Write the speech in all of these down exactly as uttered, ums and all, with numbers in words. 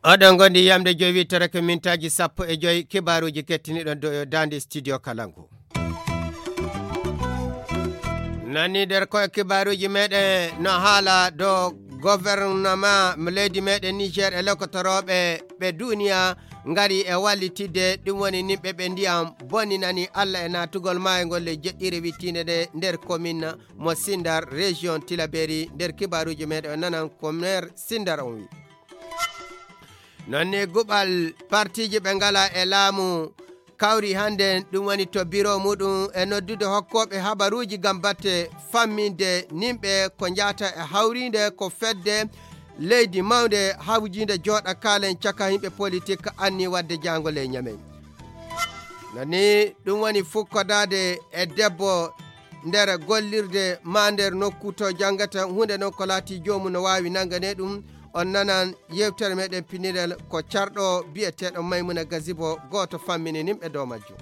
Oɗon ngondi yamde joyi wittere ko mintaaji sappo e joyi, kibaaruuji kettiniɗon do daande studio Kalangu. Nani nder koye kibaaruuji meɗen no haala do gouvernement mo leydi meɗen Niger e lokotorooɓe ɓe duniya ngari e wallitidde, ɗum woni nimɓe ɓe ndiyam bonninani Allah e naatugol maayngol le jeɗɗire wittiinde nde nder commune mo Sindar, région Tilaberi. Nder kibaaruuji meɗen o nanan ko maire Sindar on wi. Noon ne guɓal partiiji ɓe ngala e laamu kawri hannde, ɗum woni to biro muɗum e noddude hokkooɓe habaruuji ngam batte famminde nimɓe ko njahata e hawriinde ko fedde leydi mawnde hawjiinde jooɗa kaalen caka yimɓe politik anni waɗde jaangol e Ñamey. Nani ɗum woni fukkodaade e debbo nder gollirde ma nder nokku to janngata huunde noon ko laati joomum no waawi nanngane ɗum. On nanan yewtere meɗen pinirel ko carɗo biyeteeɗo Maymuna Gazibo, gooto fammini nimɓe dow majjum.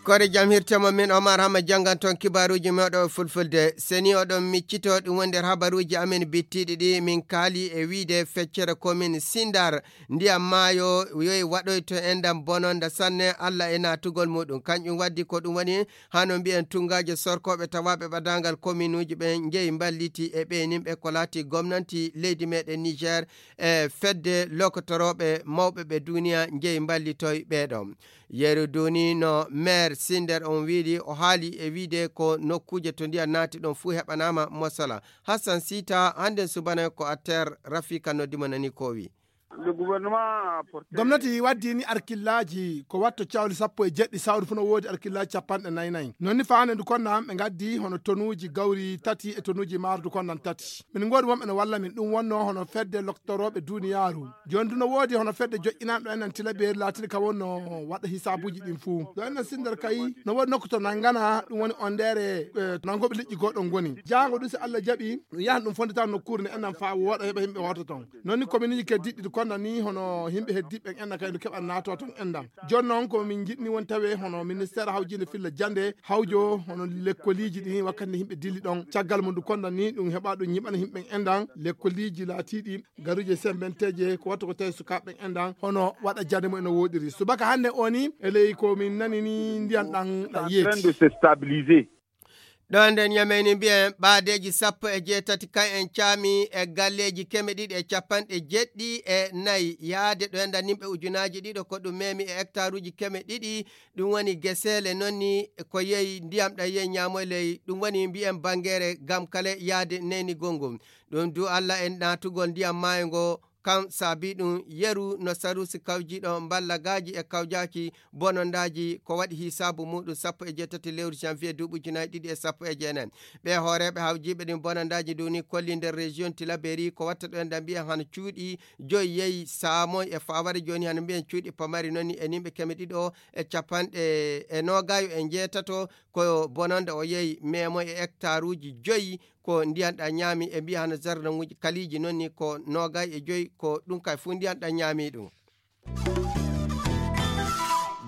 Kore jam hirtemo min Omar Hama janngan toon kibaaruuji mawɗo e fulfulde. Seni oɗon miccito ɗum woni nder habaruuji amen bittiiɗi ɗi min kaali e wiide feccere komin Sindar ndiyam maayo yoyi waɗoyto enɗam bononda sanne Allah e naatugol muɗum. Kanƴum waddi ko ɗum woni hano mbiyen tunngaaje sorkooɓe tawaaɓe ɓadaangal kominuuji ɓen njeyi mballiti e ɓeynimɓe ko laati gomnanti leydi meɗen Niger e fedde lokotorooɓe mawɓe ɓe duniya njeyi mballitoy ɓeeɗo. Yeru duni no maire Sinder on wiidi o haali e wiide ko nokkuuje to ndiyam naati ɗon fuu heɓanaama mosala. Hassan Sita, hannden subana ko affaire Rafika noddimo nani ko wi. Gomnati waddini arkillaaji ko watto cawli sappo e jeɗɗi sawru fuu no woodi arkillaaji capanɗe nayi nayi. Non ni faande ndu konna ɓe ngaddi hono tonuuji gawri tati e tonuuji maaro ndu konnan tati. Min ngoodi wonɓe no walla min ɗum wonno hono fedde loktorooɓe duniyaaru. Jooni ndu no woodi hono fedde joƴƴinanɗo en en tilabeeri laatiiɗo ka wonno waɗa hisaabuuji ɗin fuu. Ɗo en en Sinder kay no woodi nokku to nangana ɗum woni on ndeere, eh, to nangooɓe liƴƴi goo ɗon ngoni. Jaango ɗum si Allah jaɓi ɗum yahan ɗum fondita nokkuure nde enɗan faa wooɗa heɓa yimɓe wooto ton. Non ni kominuuji keddiɗɗi ɗi konda ni hono yimɓe heddiɓɓe en enɗan kay no keɓa naato ton enɗan. Jooni noon ko min njiɗni won tawe hono ministeer hawjiinde filla jannde hawjo hono lekkoliiji ɗi wakkati nde yimɓe dilli ɗon. Caggal mum ndu konda ni ɗum heɓa ɗum ñiɓana yimɓe en enɗan lekkoliiji laatiiɗi garuuje sembenteeje ko wattu ko tawi sukaaɓe en enɗan hono waɗa jannde mum eno woɗiri. Subaka hannde o ni e ley ko min nani ni ndiyan ɗan ɗan yeeti. Ɗo nden Ñamey ni mbiyen ɓaadeeji sappo e jeetati kan en caami e galleeji keme ɗiɗi e capanɗe jeɗɗi e nayi yaade ɗo enda nimɓe ujunaaji ɗiɗo ko ɗum memi e hectaruuji keme ɗiɗi. Ɗum woni geseele noon ni ko yehi ndiyam ɗam yehi ñaamoy ley ɗum woni mbiyen bangeere gam kale yaade neynigol ngol. Ɗum du Allah e naatugol ndiyam maayo ngo kan saabi ɗum yeru no sarusi kawjiiɗo mballagaaji e kawjaaki bonondaaji ko waɗi hisaabu muɗum sappo e jeetati lewru janvier duuɓi ujunaaji ɗiɗi e sappo e jeenayi. Ɓe hooreeɓe hawjiiɓe ɗin bonondaaji ndu ni kolli nder région Tilaberi ko watta ɗo en ɗan mbiyen hano cuuɗi joyi yehi saamoy e faaware jooni hano mbiyen cuuɗi pamari noon ni e nimɓe keme ɗiɗo e capanɗe e noogayo e njeetato ko bononda o yehi meemoy e hectaruuji joyi ko ndiyan ɗan ñaami e mbiya hano zarnaŋuuji kaliiji noon ni ko noogay e joyi ko ɗum kay fuu ndiyan ɗan ñaami ɗum.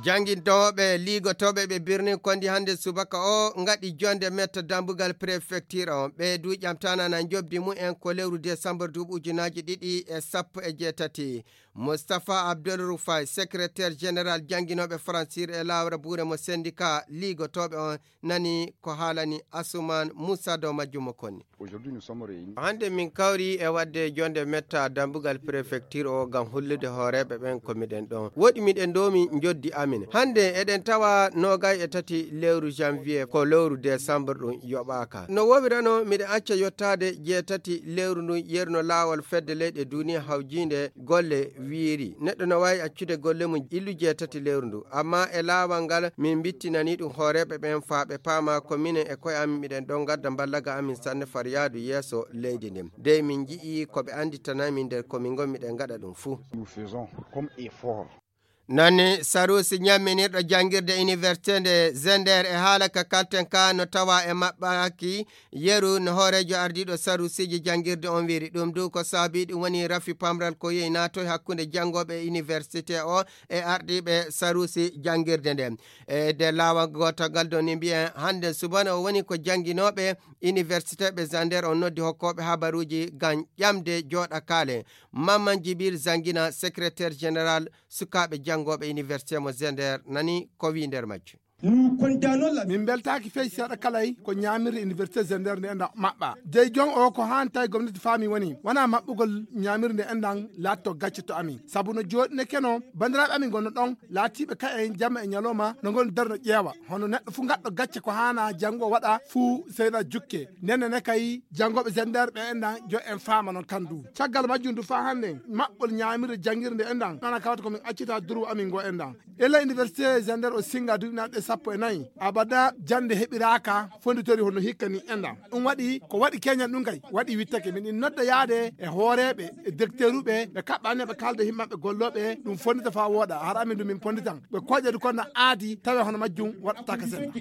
Janngintooɓe liigotooɓe ɓe birnin kondi hannde subaka o ngaɗi jonde metta dambugal prefecture on ɓe du ƴamtana na njobdi mumen ko lewru décembre duuɓi ujunaaji ɗiɗi e sappo e jeetati. Moustapha Abdul Rufai, secrétaire général jannginooɓe francir e laawra buure mo syndicat liigotooɓe on nani ko haalani Asuman Moussa dow majjum mo konni. Hannde min kawri e waɗde jonde metta dambugal prefecture o ngam hollude hooreeɓe ɓen ko miɗen ɗon. Woɗi miɗen ɗo min njoddi amin. Hannde eɗen tawa noogay e tati lewru janvier ko lewru décembre ɗum yoɓaaka. No wowirano miɗen acca yottaade jeetati lewru ndun yerno laawol fedde leyɗe duniya hawjiinde golle wiiri. Neɗɗo no waawi accude golle mum illu jeetati lewru ndu. Amma e laawol ngal min mbittinani ɗum hooreeɓe ɓen faa ɓe paama ko minen e koye amin miɗen ɗon ngadda mballaga amin sanne far yaadu yeeso leydi ndin. Dey min nji'i ko ɓe annditana min nder ko min ngon miɗen ngaɗa ɗum fuu. Nani sarusi ñamminirɗo janngirde université nde Zender e haala ka kalten ka no tawa e maɓɓaaki yeru no hooreejo ardiiɗo sarusiiji janngirde on wiri. Ɗum du ko saabi ɗum woni rafi pamral ko yehi naatoy hakkunde janngooɓe université o e ardiiɓe sarusi janngirde nde. E de laawa gootagal do ni mbiyen hannde subana o woni ko jannginooɓe université ɓe Zender on noddi hokkooɓe habaruuji ngam ƴamde jooɗa kaale. Mamman Jibil Zangina, secrétaire général sukaaɓe janngooɓe université mo Zender nani ko wi nder majju. Min mbeltaaki fey seeɗa kalay ko ñaamirde université Zender nde enda maɓɓa. Dey jon o ko haan tawi gomnati faami woni wona maɓɓugol ñaamirde nde endan laatto gacce to amin. Sabu no jooɗi ne keno banndiraaɓe amin ngonno ɗon laatiiɓe ka en jamma e ñalawma no ngon darno ƴeewa. Hono neɗɗo fu gaɗɗo gacce ko haana janngo waɗa fu seyna jukke. Nenne ne kay janngooɓe Zender ɓe endan jo en faama non kan du. Caggal majjum du faa hannde maɓɓol ñaamirde janngirde endan. Nana kawata ko min accita duru amin ngo endan. Ela université Zender o singa duɗinaaɗe sappo e nayi. Abada jannde heɓiraaka fonditori hono hikka ni endan. Ɗum waɗi ko waɗi keñan ɗum kay. Waɗi wittake min in nodda yaade e hooreeɓe, e docteuruɓe, ɓe kaɓɓani ɓe kalda himmaɓe gollooɓe, ɗum fondita faa wooɗa. Har amin ɗum min ponditan. Ɓe koƴe du konna aadi tawe hono majjum waɗataka sen.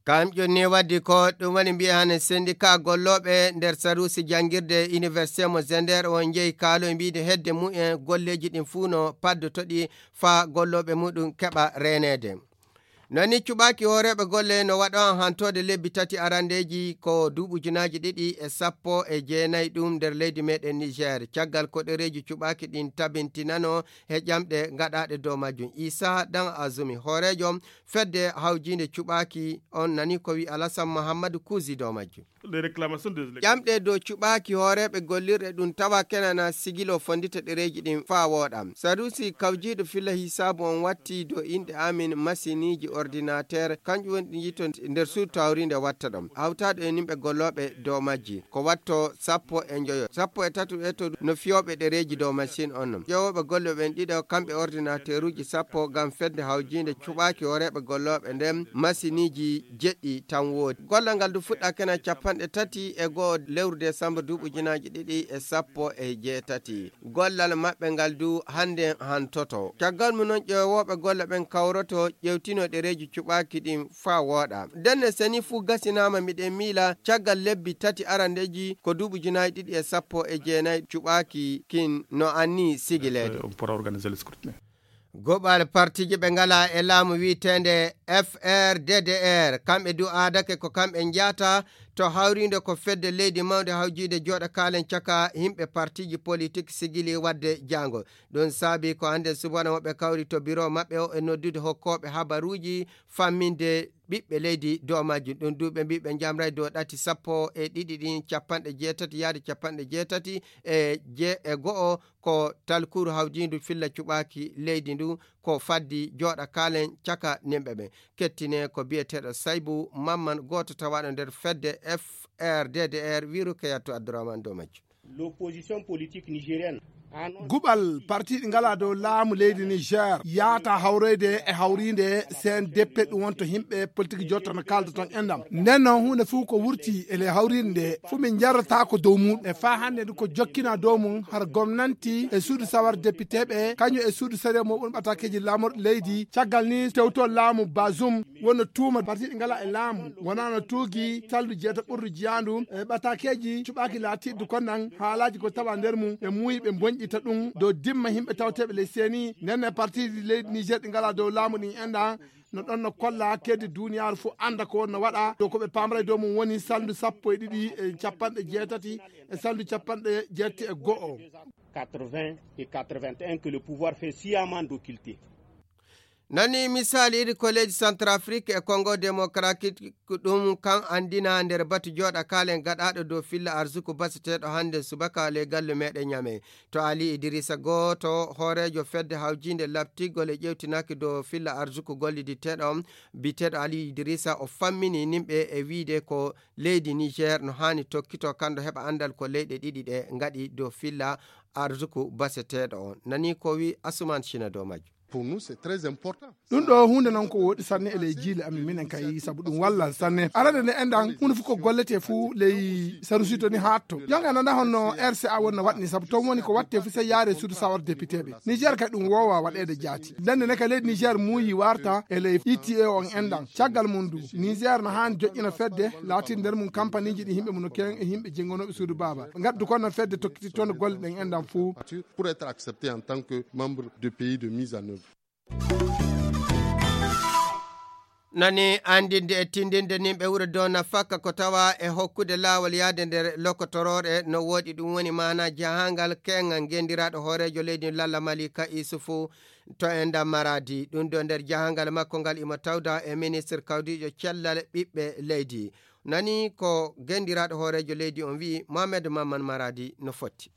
Kam ƴonni waddi ko ɗum woni mbiya hane syndicat gollooɓe nder sarusi janngirde université mo Zender o njeyi kaalo e mbiide hedde mumen golleeji ɗin fuu no paddotoɗi faa gollooɓe muɗum keɓa reeneede. Nani cuɓaaki hooreeɓe golle no waɗa hantoode lebbi tati arandeeji ko duuɓi ujunaaji ɗiɗi e sappo e jeenayi ɗum nder leydi meɗen Niger. Caggal ko ɗereeji cuɓaaki ɗin tabintinano he ƴamɗe gaɗaaɗe dow majjum. Isa Dan Azumi, hooreejo fedde hawjiinde cuɓaaki on nani ko wi Alasan Muhammadu Kuusi dow majjum. Ƴamɗe dow cuɓaaki hooreeɓe gollirɗe ɗum tawa kenana sigilo fondita ɗereeji ɗin faa wooɗa. Sadusi kawjiiɗo filla hisaabu on watti dow inɗe amin masiniiji ordinateur, kanƴum woni ɗi yito nder suudu tawriinde watta ɗon. Hawtaaɗo e nimɓe gollooɓe dow majji. Ko watto sappo e njoyo. Sappo e tato e to no fiyooɓe ɗereeji dow masin on non. Ƴeewooɓe golle ɓen ɗiɗo kamɓe ordinateuruuji sappo ngam fedde hawjiinde cuɓaaki hooreeɓe gollooɓe nden masiniiji jeɗɗi tan woodi. Gollal ngal du fuɗɗa kena capanɗe tati e go'o lewru desamba duuɓi ujunaaji ɗiɗi e sappo e jeetati. Gollal maɓɓe ngal du hannde hantoto. Caggal mum non ƴeewooɓe golle ɓen kawroto ƴeewtino ɗereeji cuɓaaki ɗin faa wooɗa. Ndenne seni fuu gasinaama miɗen miila caggal lebbi tati arandeeji ko duuɓi ujunaaji ɗiɗi e sappo e jeenayi cuɓaaki kin no anni sigileede. Goɓal partiiji ɓe ngala e laamu wi'eteende F R D D R, kamɓe du aadake ko kamɓe njahata to hawriinde ko fedde leydi mawnde hawjiinde jooɗa kaalen caka yimɓe partiiji politik sigili waɗde jaango. Ɗum saabi ko hannde subana woɓɓe kawri to biro maɓɓe o e noddude hokkooɓe habaruuji famminde ɓiɓɓe leydi dow majjum. Ɗum du ɓe mbi ɓe njamray dow ɗati sappo e ɗiɗi ɗin capanɗe jeetati yaade capanɗe jeetati e je-, e go'o ko talkuru hawjiindu filla cuɓaaki leydi ndu ko faddi jooɗa kaalen caka nimɓe ɓen. Kettine ko biyeteeɗo Saybu Mamman gooto tawaaɗo nder fedde F R D D R wiru Keyatu Abdourahmane dow majjum. L'opposition politique nigérienne annonce Guɓal parti ɗi ngala dow laamu leydi Niger yaata hawroyde e hawriinde C N D P ɗum wonto yimɓe politique jotta no kaalda toon enɗam. Nden noon huunde fof ko wurti e le hawriinde nde fof min njarrata ko dow mum. E faa hannde ndu ko jokkina dow mum har gomnanti e suudu sawar député ɓe kañum e suudu sariya mo ɓun ɓatakeji laamorɗo leydi. Caggal ni tewto laamu Bazoum wonno tuuma parti ɗi ngala e laamu wonano tuugi saldu jeeta ɓurdu jiyandu e ɓatakeji cuɓaki laatiɗo konnan haalaji ko tawa nder mum ɓe muuyi ɓe bonƴita ɗum dow dimma yimɓe tawteɓe ley seeni nenne partiji leydi Niger ɗi ngala dow laamu ɗin enɗa no ɗon no kolla keddi duniyaaru fof annda ko wonno waɗa dow ko ɓe pamra e dow mum woni saldu sappo e ɗiɗi e capanɗe jeetati e saldu capanɗe jeetti e go'o. Quatre-vingts et quatre-vingt-un que le pouvoir fait sciemment d'occulter. Nani misali iri ko leydi Centrafrique e Congo Démocratique ɗum kan andina nder batu jooɗa kaalen gaɗaaɗo dow filla arsuku baseteeɗo hannde subaka ley galle meɗen Ñame. To Ali Idirisa gooto hooreejo fedde hawjiinde labtigol e ƴewtinaaki dow filla arsuku golliditeeɗo on, biteeɗo Ali Idirisa o fammini nimɓe e wiide ko leydi Niger no haani tokkito kanndo heɓa anndal ko leyɗe ɗiɗi ɗe ngaɗi dow filla arsuku baseteeɗo on. Nani ko wi Asuman Cina dow majjum. Pour nous, c'est très important. Ɗum ɗo huunde noon ko woɗi sanne e ley jiile amin minen kay, sabu ɗum wallal sanne. Arande nde enɗan, huunde fof ko gollete fof ley sarusi to ni haatto. Jonga nana honno R C A wonno waɗni, sabu toon woni ko waɗte fof sey yaare suudu sawar député ɓe. Niger kay ɗum woowa waɗeede jaati. Ndende ne ka leydi Niger muuyi warta e ley I T A on enɗan. Caggal mum du, Niger no haani joƴƴina fedde, laatin nder mum kampaniji ɗi yimɓe mum no keewi e yimɓe jenngonooɓe suudu baaba. Ngaddu kono fedde tokkiti toon golle ɗen enɗan fof. Pour être accepté en tant que membre de pays de mise en œuvre. Nani anndinde e tindinde nimɓe wuro Dona Fakka ko tawa e hokkude laawol yaade nder lokotoroore no woɗi. Ɗum woni maana jahangal keŋŋal ngendiraaɗo hooreejo leydi Lalla Malika Isufu to enɗan Maradi. Ɗum ɗo nder jahangal makko ngal imo tawda e ministre kawdiijo cellal ɓiɓɓe leydi. Nani ko ngendiraaɗo hooreejo leydi on wi'i. Mohamed Mamman Maradi no fotti.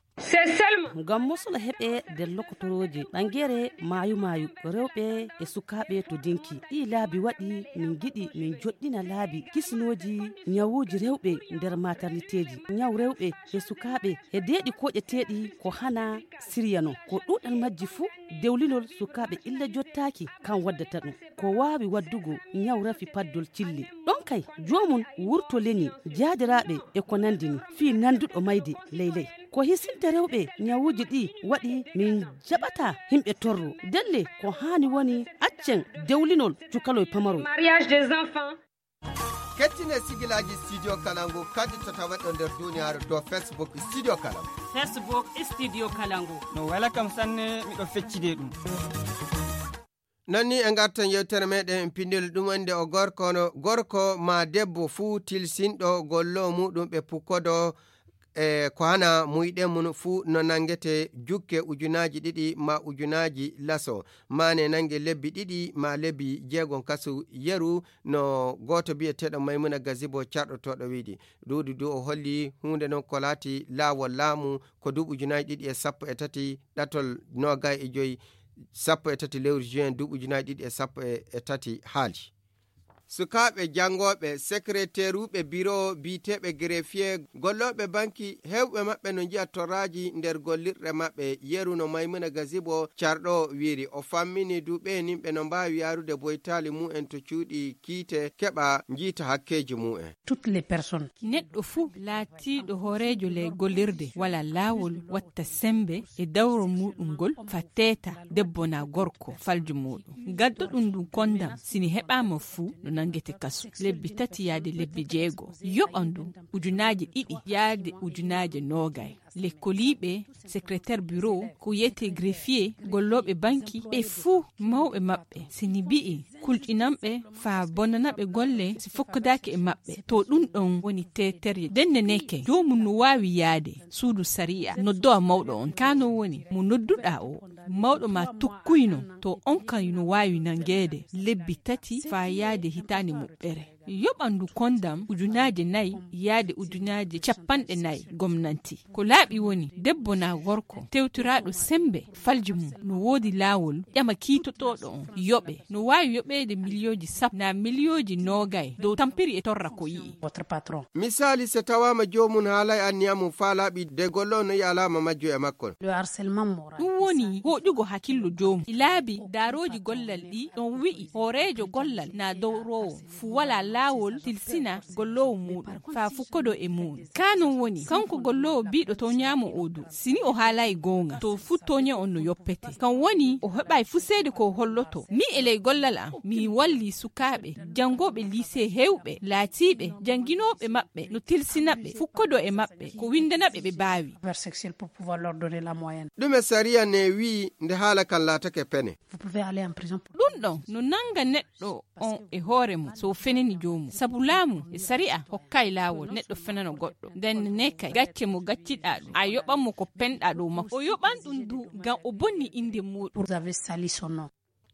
Ngam mosol heɓe nder lokotorooje ɓangere maayu maayu, rewɓe e sukaaɓe to dinki. Ɗii laabi waɗi min ngiɗi min joɗɗina laabi kisinooji ñawuuji rewɓe nder materniteeji. Ñaw rewɓe e sukaaɓe e deeɗi koƴeteeɗi ko hana sirya non. Ko ɗuuɗal majji fuu dewlinol sukaaɓe illa jottaaki kan waddata ɗum. Ko waawi waddugo ñaw rafi paddol cille. Ɗon kay, joomum wurto leñi, jaadiraaɓe e ko nandi ni, fii nanduɗo mayde ley ley. Ko hisinte rewɓe ñawuuji ɗi waɗi min jaɓata himɓe torro. Delle ko haani woni accen dewlinol cukaloy pamaroy. Mariage des enfants. Kettine sigilaaji Studio Kalangu kadi to tawaɗo nder duniyaaru to Facebook Studio Kalangu. Facebook Studio Kalangu. No wela kam sanne, miɗo feccide ɗum. Non ni e ngartan yewtere meɗen pindol ɗum wonde o gorko no, gorko ma debbo fuu tilsinɗo gollo muɗum ɓe pukkodo e ko hana muyɗe mum fuu no nangete jukke ujunaaji ɗiɗi ma ujunaaji laso, mane nange lebbi ɗiɗi ma lebbi jeegon kasu yeru no gooto biyeteeɗo Maymuna Gazibo carɗotooɗo wiɗi. Ɗuuɗi du o holli huunde non ko laati laawol laamu ko duuɓi ujunaaji ɗiɗi e sappo e tati ɗatol noogay e joyi sappo e tati lewru juin duuɓi ujunaaji ɗiɗi e sappo e tati haali. Sukaaɓe janngooɓe, sekreteeruuɓe biro biyeteeɓe greffier, gollooɓe banki, heewɓe maɓɓe no njiya torraaji nder gollirɗe maɓɓe. Yeru no Maymuna Gazibo carɗo wiiri, o fammini du ɓe nimɓe no mbaawi yaarude boytaali mumen to cuuɗi kiite keɓa njiita hakkeeji mumen. Toutes les personnes. Neɗɗo fuu laatiiɗo hooreejo ley gollirde wala laawol watta sembe e dawro muɗum ngol fa teeta debbo na gorko faljo muɗum. Gaddo ɗum ɗum kondam sini heɓaama fuu no nangete kasu lebbi tati yaade lebbi jeego. Yoɓa ndu ujunaaji ɗiɗi yaade ujunaaji noogay. Lekkoliiɓe, secrétaire bureau, ko wiyetee greffier, gollooɓe banki, ɓe fuu mawɓe maɓɓe, si ni mbi'i kulƴinanɓe faa bonanaɓe golle si fokkodaaki e maɓɓe, to ɗum ɗon woni teeterye. Denne neke, joomum no waawi yaade suudu sariya, noddowa mawɗo on. Kaa non woni mo nodduɗaa o, mawɗo ma tokkuyno, to on kan no waawi nangeede lebbi tati faa yaade hitaande moɓɓere. Yoɓandu kondam ujunaaje nayi yaade ujunaaje cappanɗe nayi gomnanti. Ko laaɓi woni debbo naa gorko tewtiraaɗo semmbe falji mum no woodi laawol ƴama kiitotooɗo on yoɓe. No waawi yoɓeede miliyooji sappo naa miliyooji noogay dow tampiri e torra ko yi'i. Misaali, so tawaama joomum haalay anniya mum faa laaɓi de golloo no yi'a alaama majjum e makko. Ɗum woni hooƴugo hakillo joomum. Ɗi laabi daarooji gollal ɗi ɗon wi'i hooreejo gollal naa dowroowo fuu walaa laawol tilsina golloowo muuɗum faa fuu kodo e muuɗum. Kaa non woni kanko golloowo biiɗo tooñaama oo du, si ni o haalaay goonga, to fuu tooñe on no yoppete. Kan woni o heɓaay fuu seede ko o holloto. Min e ley gollal am, mi wallii sukaaɓe janngooɓe liisee heewɓe laatiiɓe jannginooɓe maɓɓe no tilsina ɓe fuu kodo e maɓɓe ko winndana ɓe ɓe mbaawi. Ɗume sariya ne wi'i nde haala kan laatake pene? Ɗum ɗon no nannga neɗɗo on e hoore mum so o fenani joomum. Sabu laamu e sari'a hokkaay laawol neɗɗo fenano goɗɗo. Nden ne kay gacce mo gacciɗaa ɗum a yoɓan mo ko penɗaa dow makko. O yoɓan ɗum du ngam o bonni innde muuɗum.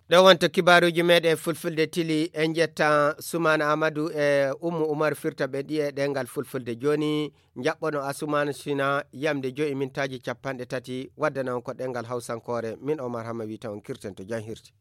Ɗo wonto kibaaruuji meeɗen fulfulde tili. En njetta Sumaana Amadu e Ummu Umar firta ɓe ɗiye ɗengal fulfulde. Jooni njaɓɓono Asumaan Sina yamde joyi mintaaji cappanɗe tati waddana on ko ɗengal hawsankoore. Min Omar Hamma wiyta on kirten to jam hirti.